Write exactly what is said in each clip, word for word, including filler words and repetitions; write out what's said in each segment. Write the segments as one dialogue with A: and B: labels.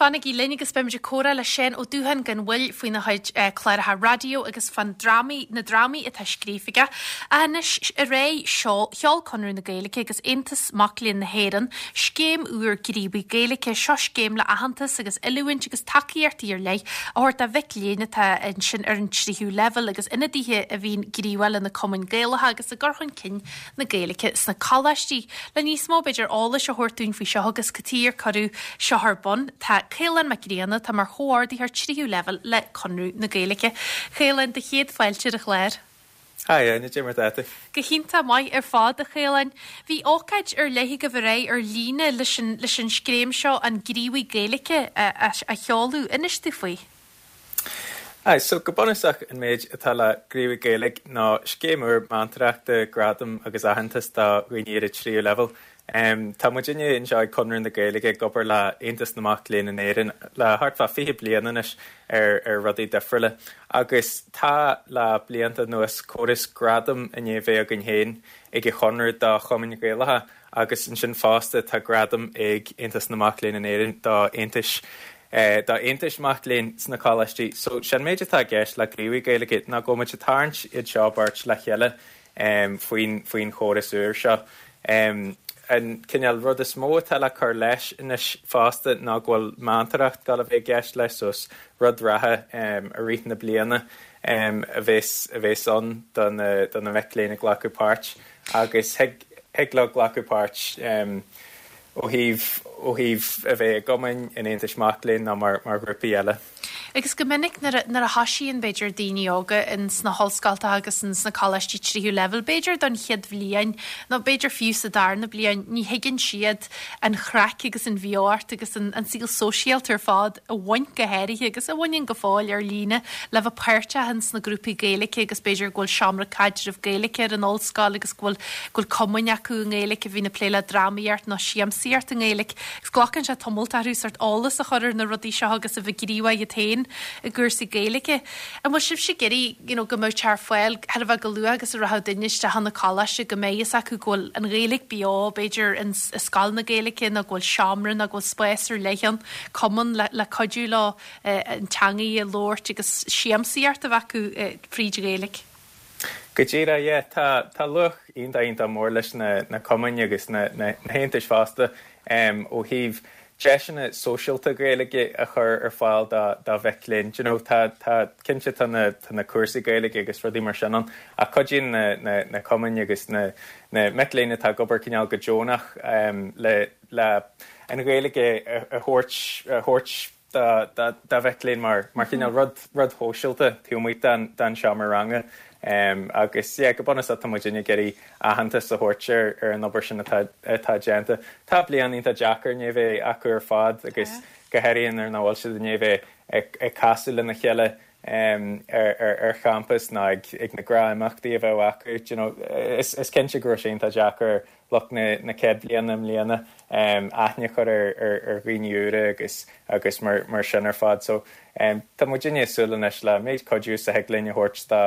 A: Fanaigí linn agus beimid ag comhrá le Seán Ó Dúcháin gan mhoill faoina chuid cláracha raidió agus fan drámaí na drámaí atá scríofa aige. Anois aréir sheol Conradh na Gaeilge agus Aontas Mac Léinn na hÉireann, scéim úr Gníomhaí Gaeilge seo scéim le aitheantas agus oiliúint agus tacaíochtaí ar leith a thabhairt do mhic léinn atá ansin ar an tríú leibhéal agus ionadaithe a bhíonn gníomhach le na cumainn Gaelacha agus i gcur chun cinn na Gaeilge sna coláistí. Le níos mó b'fhéidir eolais a thabhairt dúinn faoi seo agus cad chuige ar cuireadh seo ar bun tá Caolán Mac Grianna tá mar chomhordaitheoir tríú leibhéal le Conradh na Gaeilge. Caolán do chéad fáilte ar an chlár.
B: Hi, cad é mar atá tú.
A: Go hiontach maith ar fad a Chaoláin. Bhí ócáid ar leith agaibh aréir ar líne leis an leis an scéim seo an Gníomhaí Gaeilge a, a, a sheoladh inis dúinn faoi.
B: Aye, so go bunúsach an méid atá le Gníomhaí Gaeilge ná scéim úr meantóireachta gradam agus aitheantas do dhaoine ar an tríú leibhéal. Um, tá muidinne anseo ag Conradh na Gaeilge ag obair le Aontas na Mac Léinn in Éirinn le thart fá fiche bliain anois ar ar rudaí difriúla. Agus tá le blianta anuas córas gradam i ndiaidh bheith againn féin ag an Chonradh do chumainn Ghaelacha agus ansin fosta tá gradam ag Aontas na Mac Léinn in Éirinn do aontais eh, dá aontais mac léinn sna coláistí. So sin méid atá i gceist le Gníomhaí Gaeilge ná go muid tarraingt iad seo beirt le chéile um, faoin faoin chóras úr seo. Um, an cineál rud is mó atá le cur leis anois fosta ná go bhfuil meantóireacht ag gabháil a bheith i gceist leis so rud reatha um, i rith na bliana um, a bheas a bheas ann don don na mic léinn ag glacadh páirt agus thig thig leo glacadh páirt um, ó thaobh ó thaobh a bheith i gcumainn in aontais mac léinn ná mar mar ghrúpaí eile.
A: Agus go minic nuair a thosaíonn b'fhéidir daoine óga in sna hollscoltacha agus in sna coláistí tríú leibhéal, b'fhéidir don chéad bhliain nó b'fhéidir fiú sa darna bliain ní thuigeann siad an chraic agus an bheocht agus an, an saol sóisialta ar fad a bhain go háirithe agus a bhaineann go fóill ar líne le bheith páirteach in sna grúpaí Gaeilge agus b'fhéidir go bhfuil seomra caidrimh Gaeilge ar an ollscoil agus go bhfuil go bhfuil cumainn acu i nGaeilge a bhíonn ag plé le drámaíocht nó siamsaíocht i nGaeilge. Agus glacann sé tamall orthu sort eolas a chur ar na rudaí seo agus a bheith gníomhach iad féin i gcúrsaí Gaeilge. An bhfuil sibh ag iarraidh you know, go mbeadh ar fáil thar a bheith go luath agus a rachadh duine isteach na coláiste go mbeidh fhios acu go bhfuil an Ghaeilge beo b'fhéidir in i scoil na Gaeilge nó go bhfuil seomra nó go bhfuil spás ar leith ann cumann le, le cuidiú leo eh, an teanga a labhairt agus siamsaíocht a bheith acu eh, fríd Ghaeilge.
B: Go díreach yeah, tá tá luach iontach iontach mór leis na, na cumainn agus na, na, na haontais fosta um, ó thaobh deiseanna sóisialta Gaeilge a chur ar fáil dá dá mhic léinn. You know, tá tá cinnte tá na, tá na cúrsaí Gaeilge agus rudaí mar sin ann ach cuidíonn na, na, na cumainn agus na, na mic léinn atá ag obair cineál go deonach um, le, le an Ghaeilge a, a thabhairt a thabhairt dá dá mhic léinn mar mar cineál rud rud sóisialta taobh amuigh den den seomra ranga. Um, agus yeah, go bunúsach tá muid ag iarraidh aitheantas a thabhairt ar ar an obair sin atá atá déanta. Tá bliain iontach deacair ní bheith acu ar fad agus go háirithe nuair nach bhfuil siad ní bheith ag, ag casadh lena chéile um, ar, ar, ar champas ná ag, ag na gnáthimeachtaí a bheith acu. You know, is, is cinnte go raibh sé iontach deacair lucht na, na céad bliana i mbliana um, aithne chur ar, ar, ar dhaoine úra agus agus mar, mar sin ar fad. So um, tá muid ag súil anois le méid cuidiú is a thig linn a thabhairt dá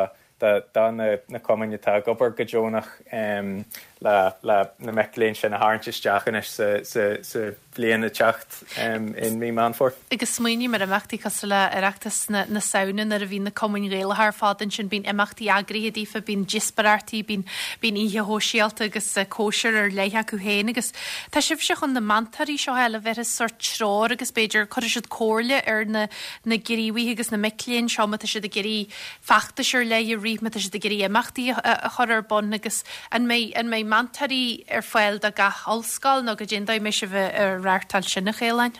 B: dá na, na cumainn atá ag obair go deonach um, le, le na mic léinn sin a tharraingt isteach anois sa, sa, sa bhliain ag teacht um, in mí Meán Fómhair.
A: Agus smaoiním ar imeachtaí cosúil le Oireachtas na, na Samhna nuair a bhí na cumainn Ghaelacha ar fad ansin bíonn imeachtaí eagraithe daofa, bíonn díospóireachtaí, bíonn bíonn oíche shóisialta agus uh, cóisir ar leith acu féin agus tá sibhse chun na meantóirí seo eile bheith sort treoir agus b'fhéidir cuirfidh siad comhairle ar na na gníomhaithe agus na mic léinn seo má tá siad ag iarraidh feachtais ar leith a rith má tá siad ag iarraidh imeachtaí a, a chur ar bun agus an mbeidh an mbeidh meantóirí ar fáil do gach ollscoil nó cad é an dóigh mbeidh sibh ag reáchtáil sin a Chaoláin.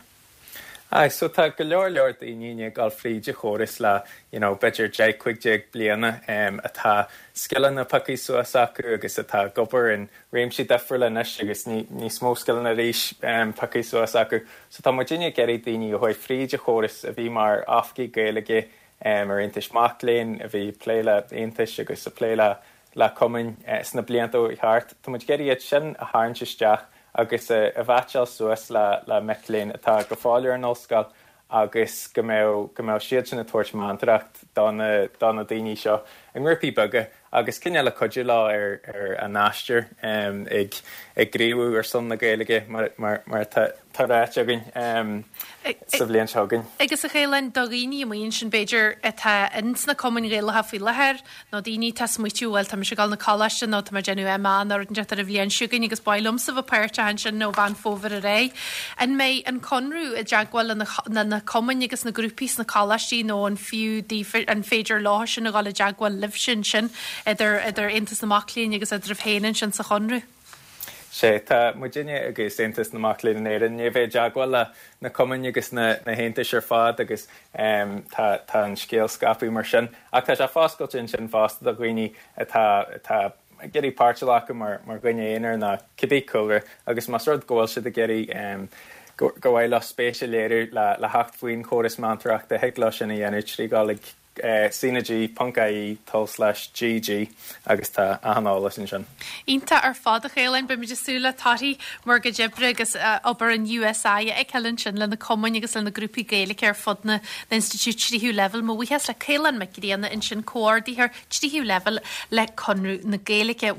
B: Aye, so tá go leor leor daoine ag dul fríd an chóras le you know, b'fhéidir deich cúig déag bliana um, atá scileanna pioctha suas acu agus atá ag obair in réimsí difriúla anois agus ní, níos mó scileanna arís um, pioctha suas acu. So tá muid ag iarraidh daoine a chuaigh fríd an chóras a bhí mar oifigigh Gaeilge um, ar aontais mac léinn a bhí plé le aontais agus a plé le le cumainn uh, sna blianta ó thart. Tá muid ag iarraidh iad sin a tharraingt isteach agus a, a mheaitseáil suas le le mic léinn atá go fóill ar an ollscoil agus go mbeidh go mbeidh siad sin ag tabhairt meantóireacht do na do na daoine seo i ngrúpaí beaga agus cineál le cuidiú leo ar ar a n-aistear ag ag gníomhú ar son na Gaeilge mar mar mar tá tá ráite againn sa bhliain seo chugainn.
A: Agus a Chaoláin, do dhaoine amuigh ansin b'fhéidir atá ins na cumainn Ghaelacha faoi láthair nó daoine atá ag smaoitiú bhuel tá mise ag dul 'na coláiste nó tá mé ag déanamh MA nó rud inteacht ar an bhliain seo chugainn agus ba mhaith liomsa bheith páirteach ansin ó Mheán Fómhair ar aghaidh. An mbeidh an Conradh i dteagmháil le na cumainn agus na grúpaí sna coláistí nó an fiú daofa an féidir leo sin a dhul i dteagmháil libhse ansin idir idir Aontas na Mac Léinn agus eadraibh féin ansin sa Chonradh?
B: Sé tá muidinne agus Aontas na Mac Léinn in Éirinn ag bheith i dteagmháil le na cumainn agus na na haontais ar fad agus um, tá tá an scéal scaipthe mar sin ach tá sé foscailte ansin fosta do dhaoine atá atá ag iarraidh páirt a ghlacadh mar mar dhuine aonair nó cibé cúlra agus más rud go bhfuil siad ag iarraidh um, go go bhfuil leo spéis a léiriú le le theacht faoin chóras meantóireachta thig leo sin a dhéanamh trí dhul ag cnag ponc ie tulslais gg agus tá achan eolas ansin.
A: Iontach ar fad a Chaoláin beimid ag súil le torthaí bhur gcuid oibre agus obair an USI a fheiceáil ansin le na cumainn agus le na grúpaí Gaeilge ar fud na n-institiúid tríú leibhéal. Mo bhuíochas le Caolán Mac Grianna ansin comhordaitheoir tríú leibhéal le Conradh na Gaeilge.